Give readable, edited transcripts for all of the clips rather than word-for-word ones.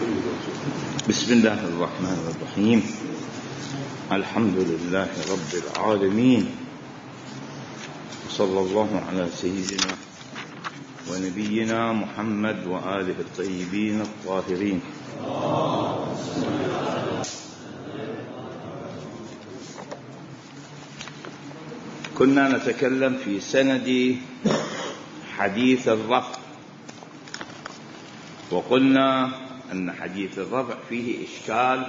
بسم الله الرحمن الرحيم. الحمد لله رب العالمين، صلى الله على سيدنا ونبينا محمد وآله الطيبين الطاهرين. كنا نتكلم في سند حديث الرفع، وقلنا أن حديث الرفع فيه إشكال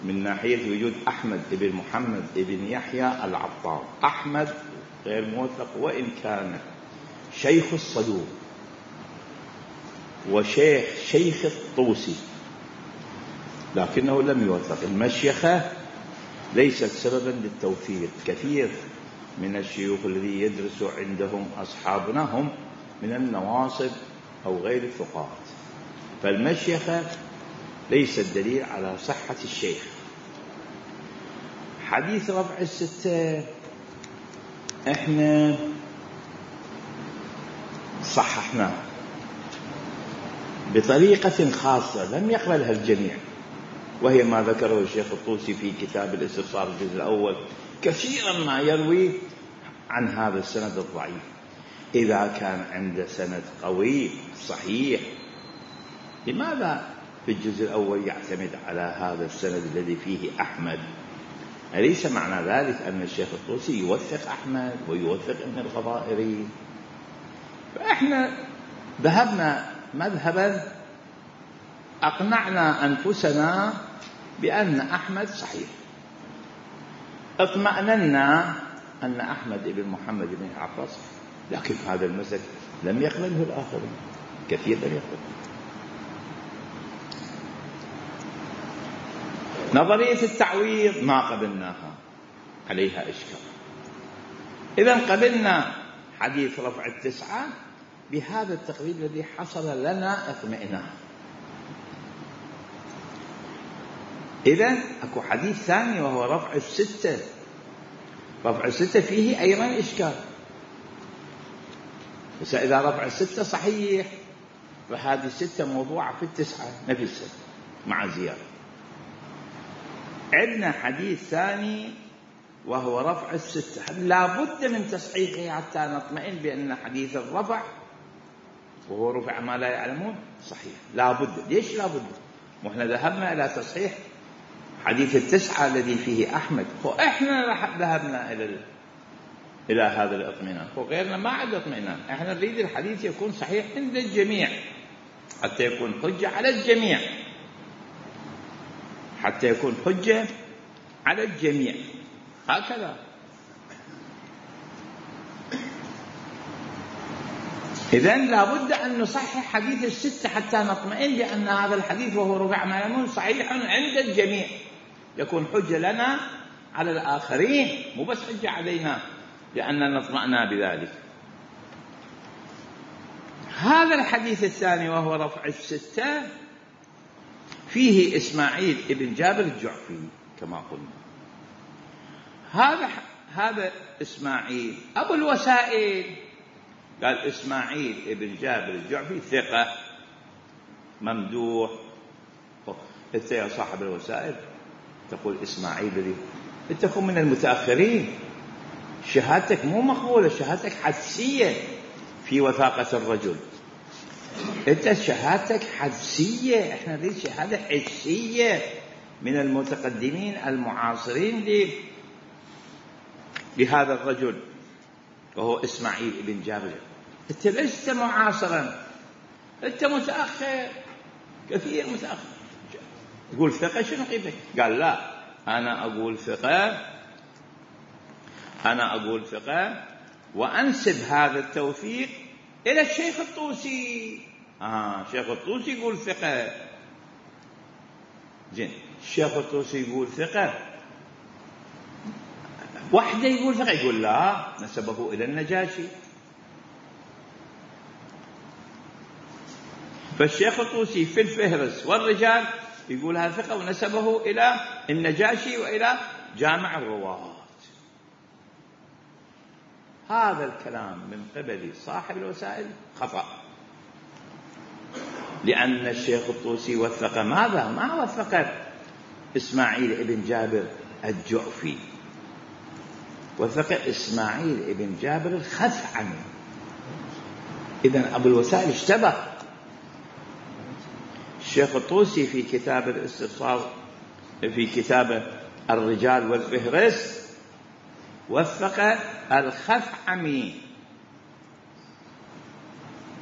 من ناحية وجود أحمد بن محمد بن يحيى العطار. أحمد غير موثق، وإن كان شيخ الصدوق وشيخ الطوسي، لكنه لم يوثق. المشيخة ليست سببا للتوثيق. كثير من الشيوخ الذي يدرس عندهم أصحابنا هم من النواصب أو غير الثقات، فالمشيخة ليست دليل على صحة الشيخ. حديث رفع الستة احنا صححناه بطريقة خاصة لم يقبلها الجميع، وهي ما ذكره الشيخ الطوسي في كتاب الاستبصار الجزء الأول. كثيرا ما يروي عن هذا السند الضعيف. إذا كان عنده سند قوي صحيح، لماذا في الجزء الأول يعتمد على هذا السند الذي فيه أحمد؟ أليس معنى ذلك أن الشيخ الطوسي يوثق أحمد ويوثق ابن الغضائري؟ فإحنا ذهبنا مذهبا أقنعنا أنفسنا بأن أحمد صحيح، اطمأننا أن أحمد بن محمد بن يعقوب صحيح، لكن هذا المسلك لم يقبله الآخرين، كثير لم يقبله. نظرية التعويض ما قبلناها، عليها إشكال. إذن قبلنا حديث رفع التسعة بهذا التقريب الذي حصل لنا اطمئنان. إذن أكو حديث ثاني وهو رفع الستة. رفع الستة فيه أيضا إشكال، بس إذا رفع الستة صحيح فهذه الستة موضوعة في التسعة نفسها مع زيادة. عندنا حديث ثاني وهو رفع الستة، لا بد من تصحيحه حتى نطمئن بأن حديث الرفع وهو رفع ما لا يعلمون صحيح. لا بد. ليش لا بد؟ وإحنا ذهبنا إلى تصحيح حديث التسعة الذي فيه أحمد، وإحنا ذهبنا إلى هذا الاطمئنان، وغيرنا ما عنده اطمئنان. إحنا نريد الحديث يكون صحيح عند الجميع حتى يكون حجة على الجميع، حتى يكون حجة على الجميع، هكذا. إذن لابد أن نصحح حديث الستة حتى نطمئن بأن هذا الحديث وهو رفع ما يعلمون صحيح عند الجميع، يكون حجة لنا على الآخرين، مو بس حجة علينا لأننا نطمئنا بذلك. هذا الحديث الثاني وهو رفع الستة فيه إسماعيل ابن جابر الجعفي كما قلنا. هذا إسماعيل أبو الوسائل، قال إسماعيل ابن جابر الجعفي ثقة ممدوح. أنت يا صاحب الوسائل تقول إسماعيل الذي تكون من المتأخرين، شهادتك مو مقبولة، شهادتك حدسية في وثاقة الرجل. أنت شهادتك حدسية، إحنا نريد شهادة حسية من المتقدمين المعاصرين لهذا الرجل وهو إسماعيل ابن جابر. أنت لست معاصرا، أنت متأخر، كثير متأخر. تقول ثقة شنو قيمتك؟ قال لا، أنا أقول ثقة وأنسب هذا التوثيق إلى الشيخ الطوسي. شيخ الطوسي يقول ثقة، زين. الشيخ الطوسي يقول ثقة، وحده يقول ثقة، يقول لا، نسبه إلى النجاشي. فالشيخ الطوسي في الفهرس والرجال يقول هذا ثقة ونسبه إلى النجاشي وإلى جامع الرواة. هذا الكلام من قبل صاحب الوسائل خطأ. لأن الشيخ الطوسي وثق ماذا؟ ما وثق إسماعيل ابن جابر الجعفي، وثق إسماعيل ابن جابر الخثعمي. إذن أبو الوسائل اشتبه. الشيخ الطوسي في كتاب الاستبصار في كتاب الرجال والفهرس وثق الخثعمي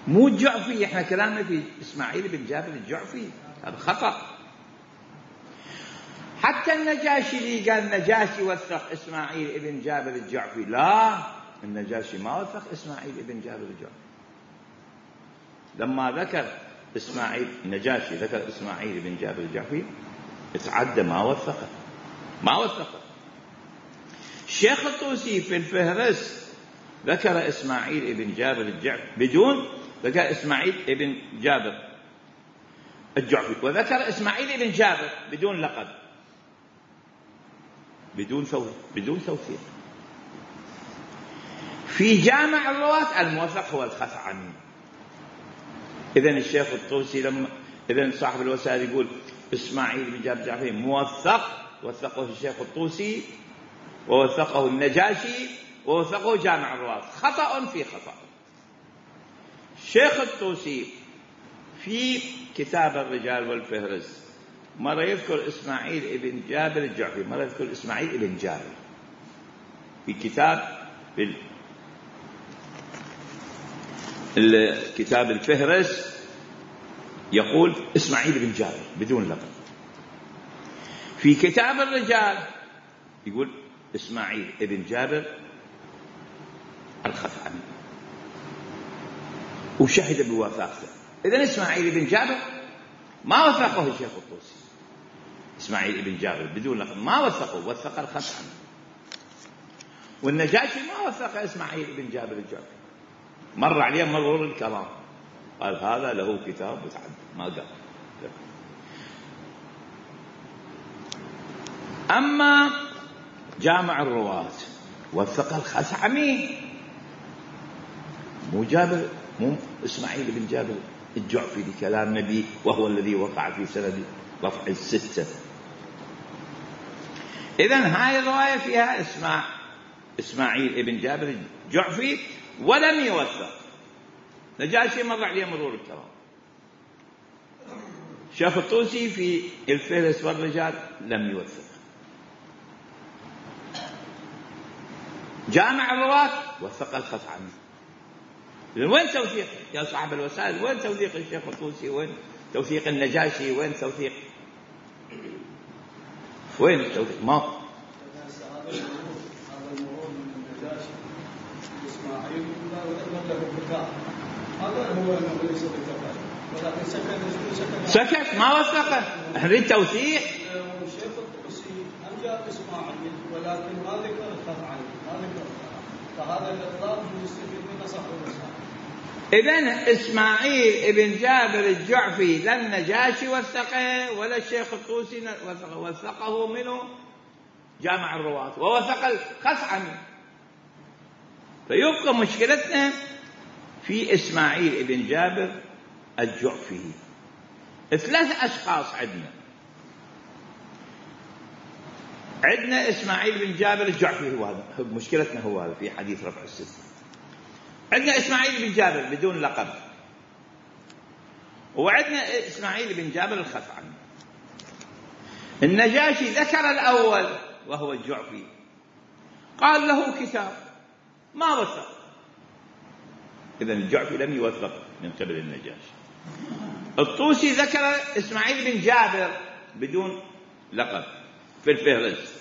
مو الجعفي. احنا كلامنا في إسماعيل بن جابر الجعفي، هذا خطأ. حتى النجاشي اللي قال النجاشي وثق إسماعيل بن جابر الجعفي، لا، النجاشي ما وثق إسماعيل بن جابر الجعفي. لما ذكر إسماعيل النجاشي ذكر إسماعيل بن جابر الجعفي اتعدى، ما وثقه. الشيخ الطوسي في الفهرس ذكر إسماعيل بن جابر الجعفي بدون ذكر إسماعيل بن جابر الجعفي، وذكر إسماعيل بن جابر بدون لقب، بدون توثيق. في جامع الرواة الموثق هو الخثعمي. إذن الشيخ الطوسي إذن صاحب الوسائل يقول إسماعيل بن جابر الجعفي موثق، وثقه الشيخ الطوسي ووثقه النجاشي ووثقه جامع الرواة. خطأ في خطأ. الشيخ الطوسي في كتاب الرجال والفهرس مرة يذكر إسماعيل بن جابر الجعفي، مرة يذكر إسماعيل بن جابر. في كتاب الفهرس يقول إسماعيل بن جابر بدون لقب. في كتاب الرجال يقول إسماعيل بن جابر الخثعمي وشهد بوثاقته. إذن إسماعيل بن جابر ما وثقه الشيخ الطوسي، إسماعيل بن جابر بدون لقب ما وثقه، وثق الخثعمي. والنجاشي ما وثق إسماعيل بن جابر الجعفي، مر عليه مرور الكرام، قال هذا له كتاب متعدد، ما قال. أما جامع الرواة وثق الخثعمي، مو إسماعيل بن جابر الجعفي لكلام نبي، وهو الذي وقع في سند رفع الستة. إذن هاي الرواية فيها إسماعيل بن جابر الجعفي ولم يوثق. نجاشي مر عليه مرور الكرام. الشيخ الطوسي في الفهرس والرجال لم يوثق. جامع الرواة وثق الخثعمي. وين توثيق يا صاحب الوسائل؟ وين توثيق الشيخ الطوسي؟ وين توثيق النجاشي؟ وين توثيق؟ وين التوثيق؟ ما هذا المرور من النجاشي إسماعيل له كتاب، هذا هو انه ليس بالكفايه، ولكن سكت ما وثقه. احنا نريد توثيق. الشيخ الطوسي انجاب اسماعيل ولكن ما ذكر الخثعمي، ما ذكر، فهذا الاطلاق يستفيد منه صاحب الوسائل. إذن إسماعيل بن جابر الجعفي لا النجاشي وثقه ولا الشيخ الطوسي وثقه منه جامع الرواة ووثق الخثعمي. فيبقى مشكلتنا في إسماعيل بن جابر الجعفي. 3 أشخاص عندنا إسماعيل بن جابر الجعفي، هو هذا مشكلتنا، هو هذا في حديث رفع الستة. عندنا إسماعيل بن جابر بدون لقب، وعندنا إسماعيل بن جابر الخثعمي. النجاشي ذكر الأول وهو الجعفي، قال له كتاب، ما وثق. إذن الجعفي لم يوثق من قبل النجاشي. الطوسي ذكر إسماعيل بن جابر بدون لقب في الفهرس،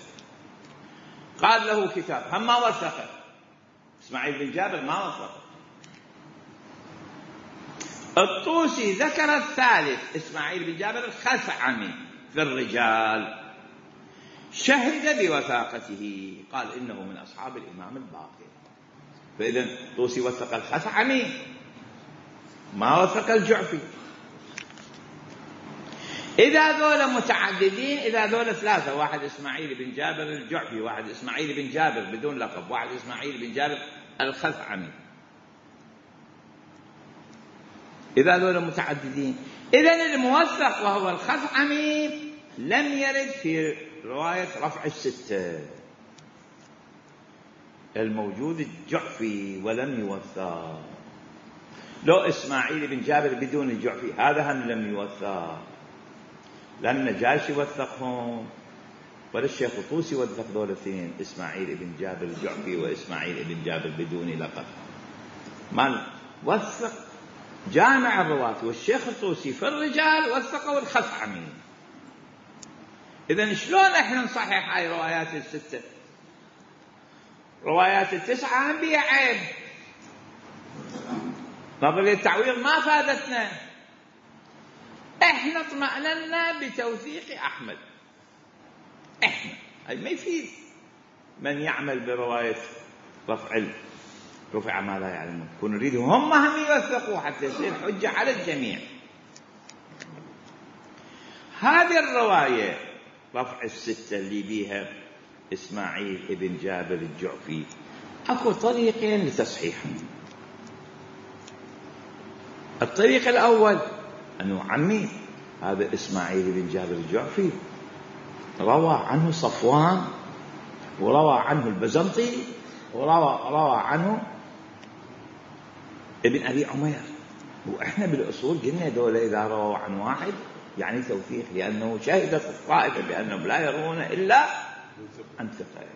قال له كتاب، هم ما وثقه. إسماعيل بن جابر ما وثقه. الطوسي ذكر الثالث إسماعيل بن جابر الخثعمي في الرجال، شهد بوثاقته، قال إنه من أصحاب الإمام الباقر. فإذن الطوسي وثق الخثعمي، ما وثق الجعفي. إذا ذولا متعددين، إذا ذولا 3، واحد إسماعيل بن جابر الجعفي، واحد إسماعيل بن جابر بدون لقب، واحد إسماعيل بن جابر الخثعمي، إذا ذولا متعددين. إذن الموثق وهو الخثعمي لم يرد في رواية رفع الستة. الموجود الجعفي ولم يوثق. لو إسماعيل بن جابر بدون الجعفي هذا هم لم يوثق، لأن النجاشي وثقهم ولا الشيخ الطوسي وثق ذول الاثنين، إسماعيل بن جابر الجعفي وإسماعيل بن جابر بدون لقب. ما وثق جامع الرواة والشيخ الطوسي في الرجال وثقوا الخثعمي. إذن شلون احنا نصحح هاي روايات الستة؟ روايات التسعة هم بيها عيب. نظرية التعويض ما فادتنا. احنا اطمأننا بتوثيق أحمد. احنا هاي ما يفيد من يعمل برواية رفع ما لا يعلمون. كون نريدهم هم يوثقوا حتى يصير حجة على الجميع. هذه الرواية رفع الستة اللي بيها إسماعيل بن جابر الجعفي أكو طريقين لتصحيحهم. الطريق الأول أنه عمي هذا إسماعيل بن جابر الجعفي روى عنه صفوان وروى عنه البزنطي وروى عنه ابن أبي عمير، وإحنا بالأصول قلنا دولة إذا رووا عن واحد يعني توثيق، لأنه شهدت الطائفة بأنهم لا يرون إلا عن ثقة.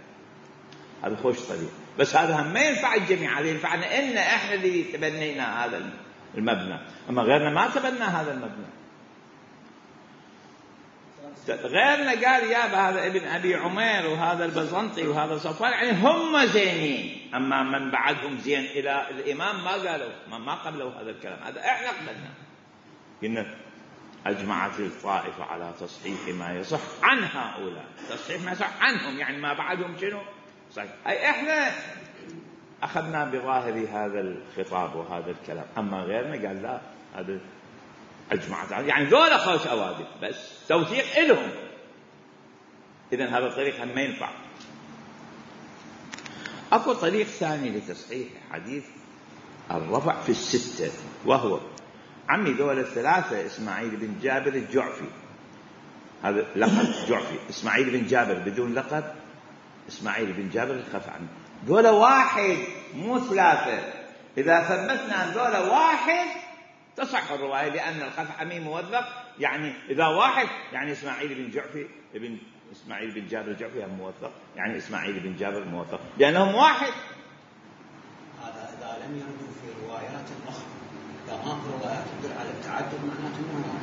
هذا خوش طريق، بس هذا هم ما ينفع الجميع، هذا ينفعنا إن إحنا اللي تبنينا هذا المبنى، أما غيرنا ما تبنى هذا المبنى. غيرنا قال يا هذا ابن أبي عمير وهذا البزنطي وهذا صفوان يعني هم زينين، أما من بعدهم زين إلى الإمام ما قالوا، ما قبلوا هذا الكلام. هذا إحنا قبلنا، قلنا أجمعت الطائفة على تصحيح ما يصح عن هؤلاء، تصحيح ما يصح عنهم يعني ما بعدهم شنو صحيح. أي إحنا أخذنا بظاهر هذا الخطاب وهذا الكلام، أما غيرنا قال لا هذا أجمعت يعني ذولا خوش أوادم بس توثيق إلهم. إذن هذا الطريق هم ما ينفع. أكو طريق ثاني لتصحيح حديث الرفع في الستة، وهو عمي ذولا الثلاثة إسماعيل بن جابر الجعفي، هذا لقب جعفي، إسماعيل بن جابر بدون لقب، إسماعيل بن جابر الخثعمي، ذولا واحد مو ثلاثة. إذا ثبتنا أن ذولا واحد تصح الرواية، لأن الخثعمي موثق، يعني إذا واحد يعني إسماعيل بن جعفي إسماعيل بن جابر الجعفي هم موثق، يعني إسماعيل بن جابر موثق لأنهم واحد. هذا إذا لم يردوا في روايات أخرى، إذا ما في روايات تدل على التعدد معناته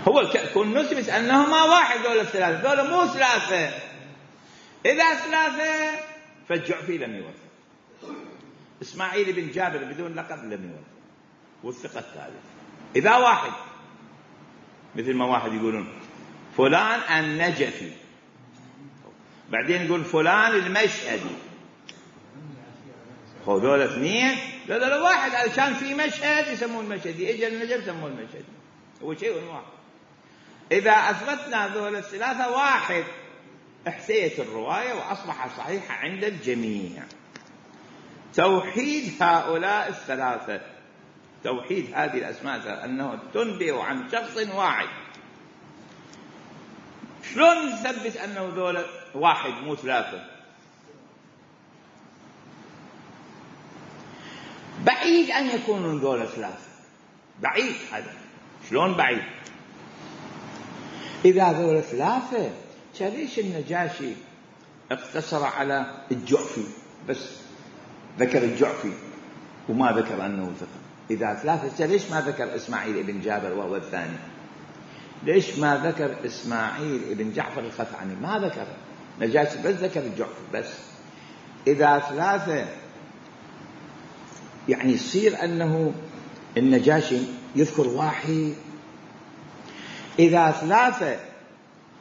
هو كون نثبت أنهما واحد دولة الثلاثة، دولة مو ثلاثة. إذا ثلاثة فالجعفي لم يوثق، إسماعيل بن جابر بدون لقب لم يوثق، والثقة الثالث. إذا واحد مثل ما واحد يقولون فلان النجفي، بعدين يقول فلان المشهدي، دول اثنين دول واحد، علشان في مشهد يسمون المشهدي، اجى النجف يسمون المشهدي، هو شيء واحد. إذا أثبتنا ذول الثلاثة واحد احتيت الرواية وأصبح صحيحة عند الجميع. توحيد هؤلاء الثلاثة، توحيد هذه الأسماء أنه تنبئ عن شخص واحد. شلون نثبت أنه ذول واحد مو ثلاثة؟ بعيد أن يكونوا ذول ثلاثة، بعيد. هذا شلون بعيد؟ إذا ذول ثلاثة ليش النجاشي اقتصر على الجعفي بس، ذكر الجعفي وما ذكر أنه ثقة؟ إذا ثلاثة ليش ما ذكر إسماعيل بن جابر وهو الثاني؟ ليش ما ذكر إسماعيل بن جعفر الخثعمي؟ ما ذكر نجاشي، بس ذكر الجعفي بس. إذا ثلاثة يعني يصير أنه النجاشي يذكر واحد. إذا ثلاثة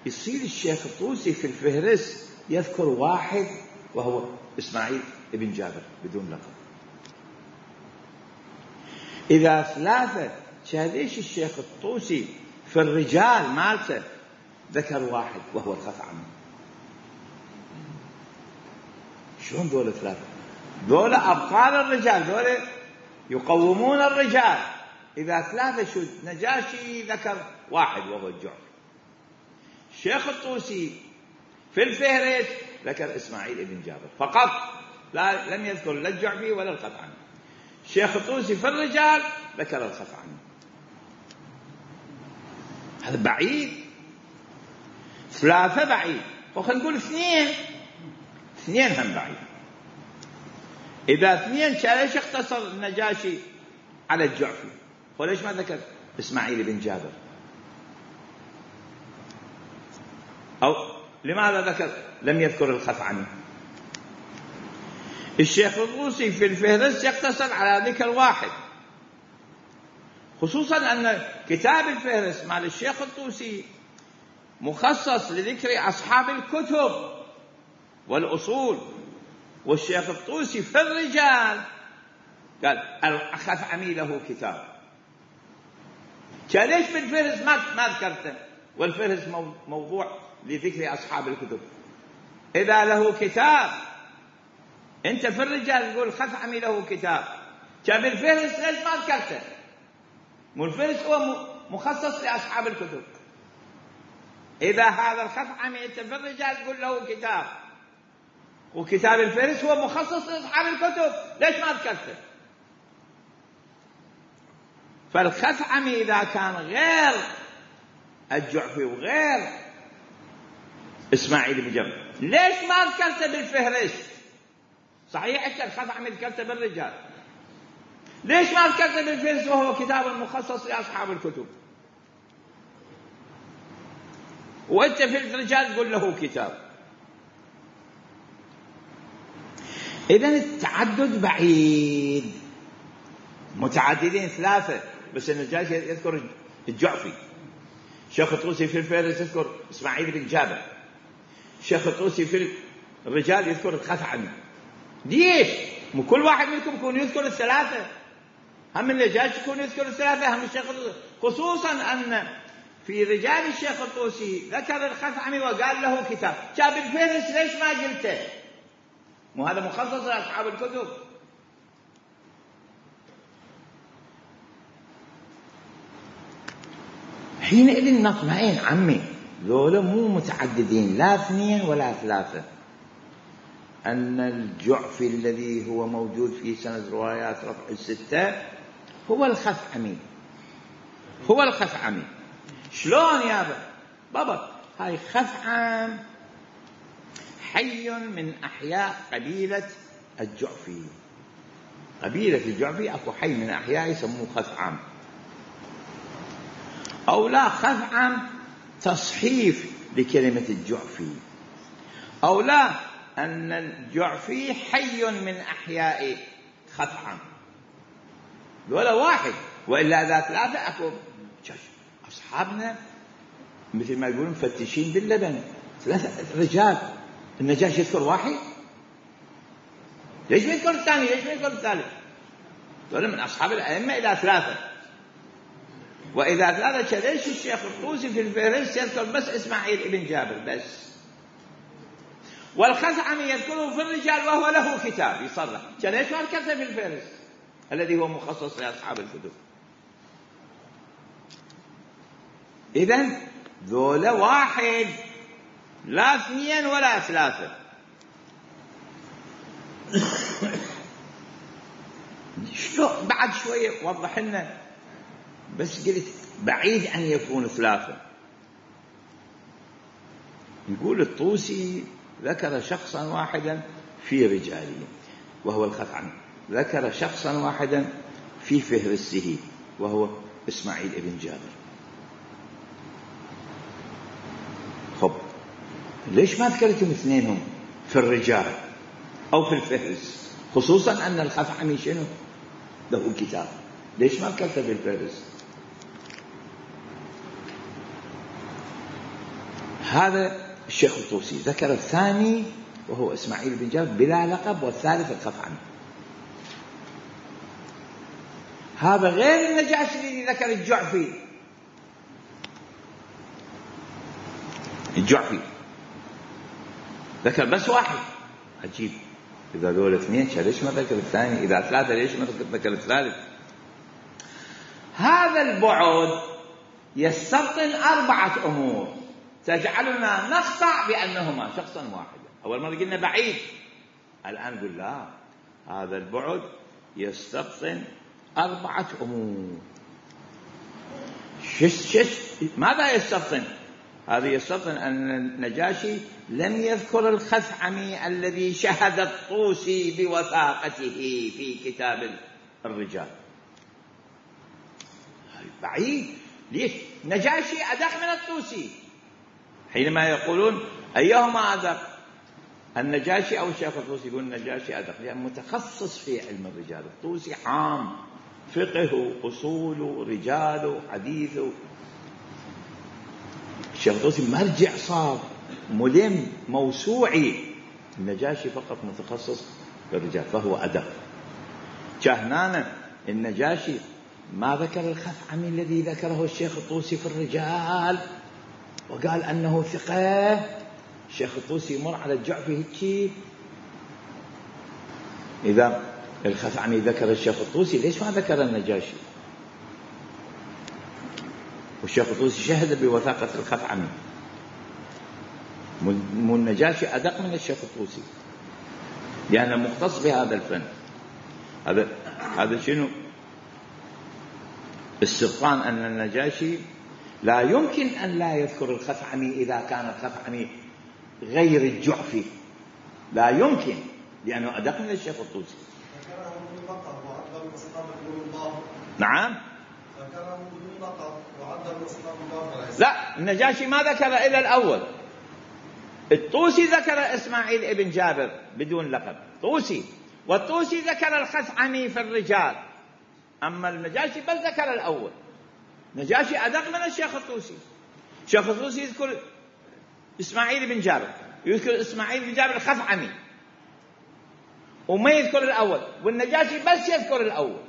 يصير الشيخ الطوسي في الفهرس يذكر واحد وهو إسماعيل بن جابر بدون لقب. إذا ثلاثة ليش الشيخ الطوسي في الرجال مالته ذكر واحد وهو الخثعمي؟ شلون دول ثلاثة؟ دول أبطال الرجال، دول يقومون الرجال. إذا ثلاثة شو نجاشي ذكر واحد وهو الجعفي. الشيخ الطوسي في الفهرس ذكر إسماعيل بن جابر فقط، لم يذكر لا الجعفي ولا الخثعمي. الشيخ الطوسي في الرجال ذكر الخثعمي. هذا بعيد. ثلاثة بعيد، وخلينا نقول اثنين هم بعيد. إذا اثنين ليش اختصر النجاشي على الجعفي؟ وليش ما ذكر إسماعيل بن جابر؟ أو لماذا لم يذكر الخثعمي؟ الشيخ الطوسي في الفهرس يقتصر على ذكر واحد، خصوصا أن كتاب الفهرس مال الشيخ الطوسي مخصص لذكر أصحاب الكتب والأصول، والشيخ الطوسي في الرجال قال الخثعمي له كتاب. ليش بالفهرس ما ذكرته؟ والفهرس موضوع لذكر أصحاب الكتب. إذا له كتاب، أنت في الرجال تقول الخثعمي له كتاب، بالفهرس ليش ما ذكرته؟ والفهرس هو مخصص لأصحاب الكتب. إذا هذا الخثعمي أنت في الرجال تقول له كتاب، وكتاب الفهرس هو مخصص لأصحاب الكتب، ليش ما ذكرته؟ فالخثعمي إذا كان غير الجعفي وغير إسماعيل بن جابر، ليش ما ذكرته بالفهرس؟ صحيح أنت الخثعمي ذكرته بالرجال، ليش ما ذكرته بالفهرس وهو كتاب مخصص لأصحاب الكتب؟ وأنت في الرجال تقول له كتاب. إذن التعدد بعيد. متعددين ثلاثة، بس النجاشي يذكر الجعفي. الشيخ الطوسي في الفهرس يذكر إسماعيل بن جابر. الشيخ الطوسي في الرجال يذكر الخثعمي. ليش؟ مو كل واحد منكم يكون يذكر الثلاثة؟ هم النجاشي يكون يذكر الثلاثة، هم الشيخ الطوسي. خصوصا أن في رجال الشيخ الطوسي ذكر الخثعمي وقال له كتاب. جاب الفهرس ليش ما قلته؟ مو هذا مخصص لأصحاب الكتب. حينئذ نطمئن عمي، ذولا مو متعددين، لا اثنين ولا ثلاثة، أن الجعفي الذي هو موجود في سند روايات رفع الستة هو الخثعمي. هو الخثعمي. شلون يا بابا؟ هاي خثعم حي من أحياء قبيلة الجعفي. قبيلة الجعفي أكو حي من أحياء يسموه خثعم، أو لا خثعم تصحيف لكلمة الجعفي، أو لا أن الجعفي حي من أحياء خثعم. ولا واحد، وإلا إذا ثلاثة أكو أصحابنا مثل ما يقولون مفتشين باللبن، ثلاثة رجال. النجاشي يذكر واحد، ليش ما يذكر الثاني؟ ليش ما يذكر الثالث؟ دول من أصحاب الأئمة إلى ثلاثة، وإذا ثلاثة ليش الشيخ الطوسي في الفهرس يذكر بس إسماعيل بن جابر بس، والخثعمي يذكره في الرجال وهو له كتاب يصرح، ليش ما ذكرته في الفهرس الذي هو مخصص لأصحاب الكتب؟ إذن ذولا واحد، لا اثنين ولا ثلاثة. بعد شوية وضح لنا، بس قلت بعيد أن يكون ثلاثة. يقول الطوسي ذكر شخصا واحدا في رجاله وهو الخثعمي، ذكر شخصا واحدا في فهرسه وهو إسماعيل بن جابر. خب ليش ما ذكرتم اثنينهم في الرجال أو في الفهرس، خصوصا أن الخثعمي شنو له كتاب؟ ليش ما ذكرته في الفهرس؟ هذا الشيخ الطوسي ذكر الثاني وهو إسماعيل بن جابر بلا لقب، والثالث الخثعمي. هذا غير النجاشي الذي ذكر الجعفي ذكر بس واحد. عجيب، إذا دول اثنين ليش ما ذكر الثاني؟ إذا ثلاثة ليش ما ذكر الثالث؟ هذا البعد يستبطن 4 أمور تجعلنا نقطع بأنهما شخصا واحدا. أول مرة قلنا بعيد، الآن نقول لا، هذا البعد يستبطن 4 أمور. ماذا يستبطن؟ هذا يستبطن أن النجاشي لم يذكر الخثعمي الذي شهد الطوسي بوثاقته في كتاب الرجال. بعيد. ليش؟ نجاشي أدق من الطوسي. حينما يقولون أيهما أدق، النجاشي أو الشيخ الطوسي، يقول النجاشي أدق لأنه متخصص في علم الرجال، الطوسي عام، فقه، أصول، رجال، حديث. الشيخ الطوسي مرجع صار، ملم، موسوعي. النجاشي فقط متخصص في الرجال فهو أدق. جهنانا النجاشي ما ذكر الخثعمي الذي ذكره الشيخ الطوسي في الرجال وقال أنه ثقة. الشيخ الطوسي يمر على الجعفي هيك، إذا الخثعمي ذكر الشيخ الطوسي ليش ما ذكر النجاشي؟ والشيخ الطوسي شهد بوثاقة الخثعمي. مو النجاشي أدق من الشيخ الطوسي لأنه مختص بهذا الفن. هذا شنو؟ استبطان أن النجاشي لا يمكن أن لا يذكر الخثعمي إذا كان الخثعمي غير الجعفي، لا يمكن، لأنه أدق من الشيخ الطوسي. نعم. لا، النجاشي ما ذكر إلا الأول. الطوسي ذكر إسماعيل ابن جابر بدون لقب طوسي، والطوسي ذكر الخثعمي في الرجال، أما النجاشي بل ذكر الأول. نجاشي أدق من الشيخ الطوسي. الشيخ الطوسي يذكر إسماعيل بن جابر، يذكر إسماعيل بن جابر الخثعمي وما يذكر الأول، والنجاشي بس يذكر الأول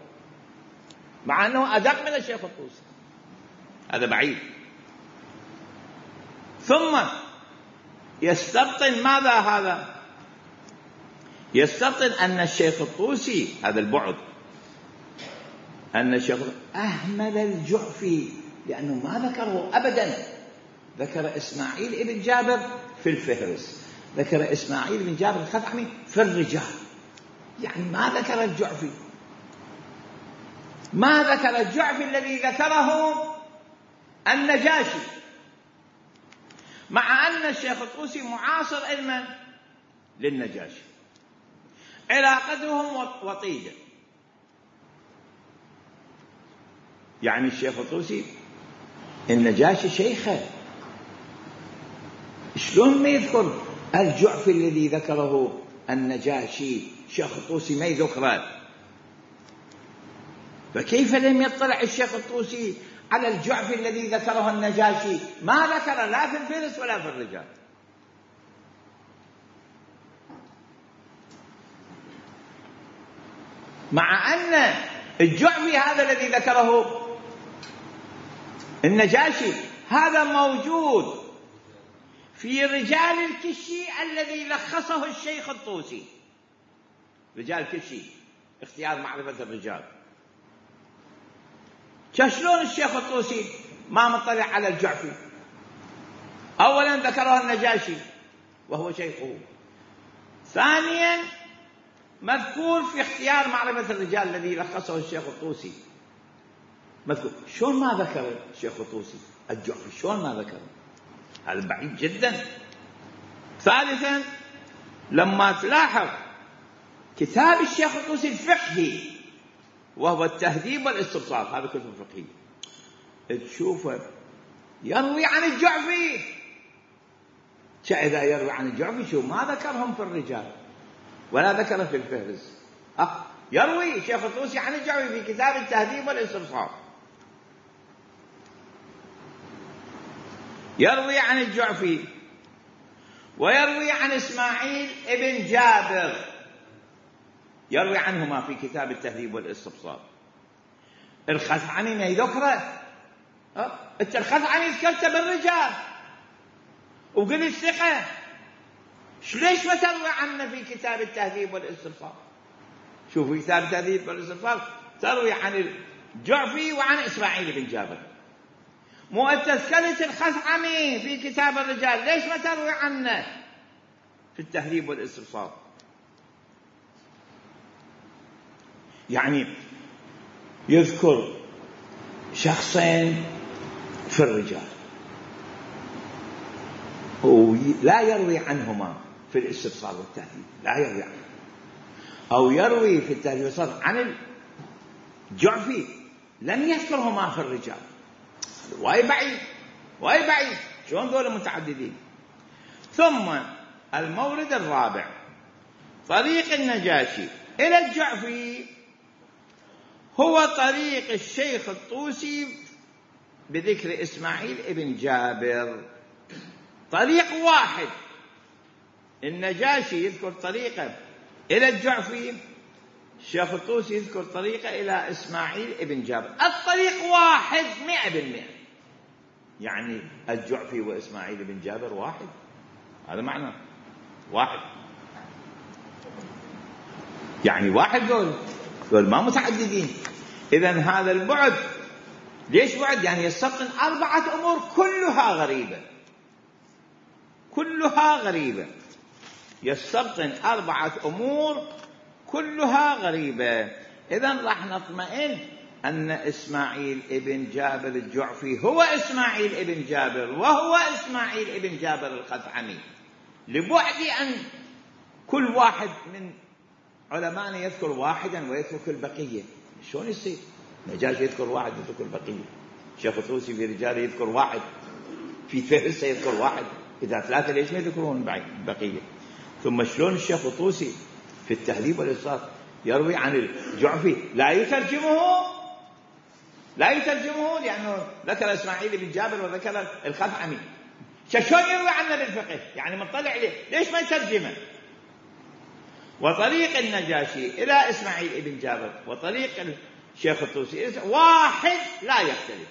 مع أنه أدق من الشيخ الطوسي. هذا بعيد. ثم يستبطن ماذا هذا؟ يستبطن أن الشيخ الطوسي، هذا البعد، أن الشيخ أهمل الجعفي لأنه ما ذكره أبدا. ذكر إسماعيل ابن جابر في الفهرس، ذكر إسماعيل بن جابر الخثعمي في الرجال، يعني ما ذكر الجعفي. ما ذكر الجعفي الذي ذكره النجاشي، مع أن الشيخ الطوسي معاصر علما للنجاشي، علاقتهم وطيدة. يعني الشيخ الطوسي النجاشي شيخه، شلون ما يذكر الجعفي الذي ذكره النجاشي؟ الشيخ الطوسي ما يذكره، فكيف لم يطلع الشيخ الطوسي على الجعفي الذي ذكره النجاشي؟ ما ذكر لا في الفهرس ولا في الرجال. مع أن الجعفي هذا الذي ذكره النجاشي هذا موجود في رجال الكشي الذي لخصه الشيخ الطوسي. رجال الكشي اختيار معرفة الرجال. شلون الشيخ الطوسي ما مطلع على الجعفي؟ أولا ذكره النجاشي وهو شيخه، ثانيا مذكور في اختيار معرفة الرجال الذي لخصه الشيخ الطوسي، مذكور. شلون ما ذكر الشيخ الطوسي الجعفي؟ شلون ما ذكر؟ هذا بعيد جدا. ثالثا لما تلاحظ كتاب الشيخ الطوسي الفقهي وهو التهذيب والاستبصار، هذا كتب فقهي، تشوفه يروي عن الجعفي. إذا يروي عن الجعفي شو ما ذكرهم في الرجال ولا ذكره في الفهرس. يروي الشيخ الطوسي عن الجعفي في كتاب التهذيب والاستبصار، يروي عن الجعفي ويروي عن إسماعيل ابن جابر، يروي عنهما في كتاب التهذيب والاستبصار. الخثعمي ما يذكره. انت الخثعمي ذكرته بالرجال وقلت ثقة، ليش ما تروي عنه في كتاب التهذيب والاستبصار؟ شوف في كتاب التهذيب والاستبصار تروي عن الجعفي وعن إسماعيل بن جابر، مو أنت ذكرت الخثعمي في كتاب الرجال، ليش ما تروي عنه في التهذيب والاستبصار؟ يعني يذكر شخصين في الرجال ولا يروي عنهما في الاستبصار والتهذيب، لا يروي عنه، أو يروي في التهذيب والاستبصار عن الجعفي لم يذكرهما في الرجال. وايد بعيد، شلون ذول متعددين؟ ثم المورد الرابع طريق النجاشي إلى الجعفي هو طريق الشيخ الطوسي بذكر إسماعيل ابن جابر، طريق واحد. النجاشي يذكر طريقه إلى الجعفي، الشيخ الطوسي يذكر طريقه إلى إسماعيل ابن جابر، الطريق واحد 100%. يعني الجعفي وإسماعيل ابن جابر واحد، هذا معنى واحد، يعني واحد، دول ما متعددين. إذن هذا البعد، ليش بعد؟ يعني يستبطن 4 أمور كلها غريبة، يستبطن 4 أمور كلها غريبة. إذن راح نطمئن أن إسماعيل ابن جابر الجعفي هو إسماعيل ابن جابر، وهو إسماعيل ابن جابر الخثعمي، لبعد أن كل واحد من علماءنا يذكر واحدا ويترك البقية. شلون يصير؟ نجاشي يذكر واحد ويترك البقية، الشيخ الطوسي في رجاله يذكر واحد، في فهرسة يذكر واحد، إذا 3 ليش ما يذكرون البقية؟ ثم شلون الشيخ الطوسي في التهذيب والإصرار يروي عن الجعفي لا يترجمه لأنه ذكر إسماعيل بن جابر وذكر الخثعمي، شلون يروي عنه بالفقه؟ يعني مطلع عليه، ليش ما يترجمه؟ وطريق النجاشي إلى إسماعيل بن جابر وطريق الشيخ الطوسي واحد لا يختلف.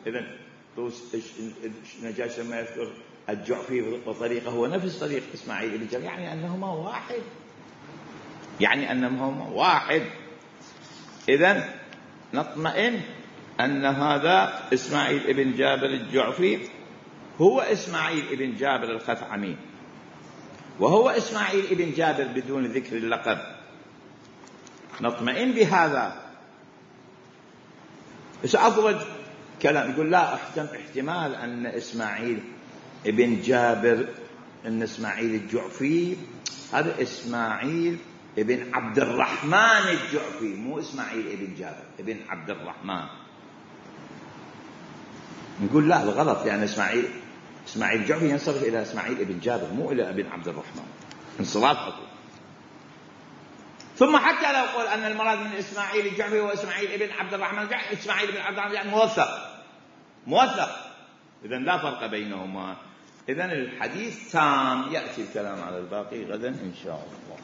إذن النجاشي لما يذكر الجعفي وطريقه هو نفس طريق إسماعيل بن جابر، يعني أنهما واحد. إذن نطمئن أن هذا إسماعيل بن جابر الجعفي هو إسماعيل بن جابر الخثعمي، وهو إسماعيل بن جابر بدون ذكر اللقب، نطمئن بهذا. بس أفضل كلام يقول لا احتمال أن إسماعيل بن جابر، أن إسماعيل الجعفي هذا إسماعيل ابن عبد الرحمن الجعفي، مو إسماعيل ابن جابر، ابن عبد الرحمن. نقول لا، الغلط، لأن إسماعيل الجعفي ينصرف إلى إسماعيل ابن جابر، مو إلى ابن عبد الرحمن، انصراف خطوة. ثم حتى لو قول أن المراد من إسماعيل الجعفي هو إسماعيل ابن عبد الرحمن، إسماعيل ابن عبد الرحمن موثق، إذن لا فرق بينهما. إذن الحديث تام، يأتي الكلام على الباقي غدا إن شاء الله.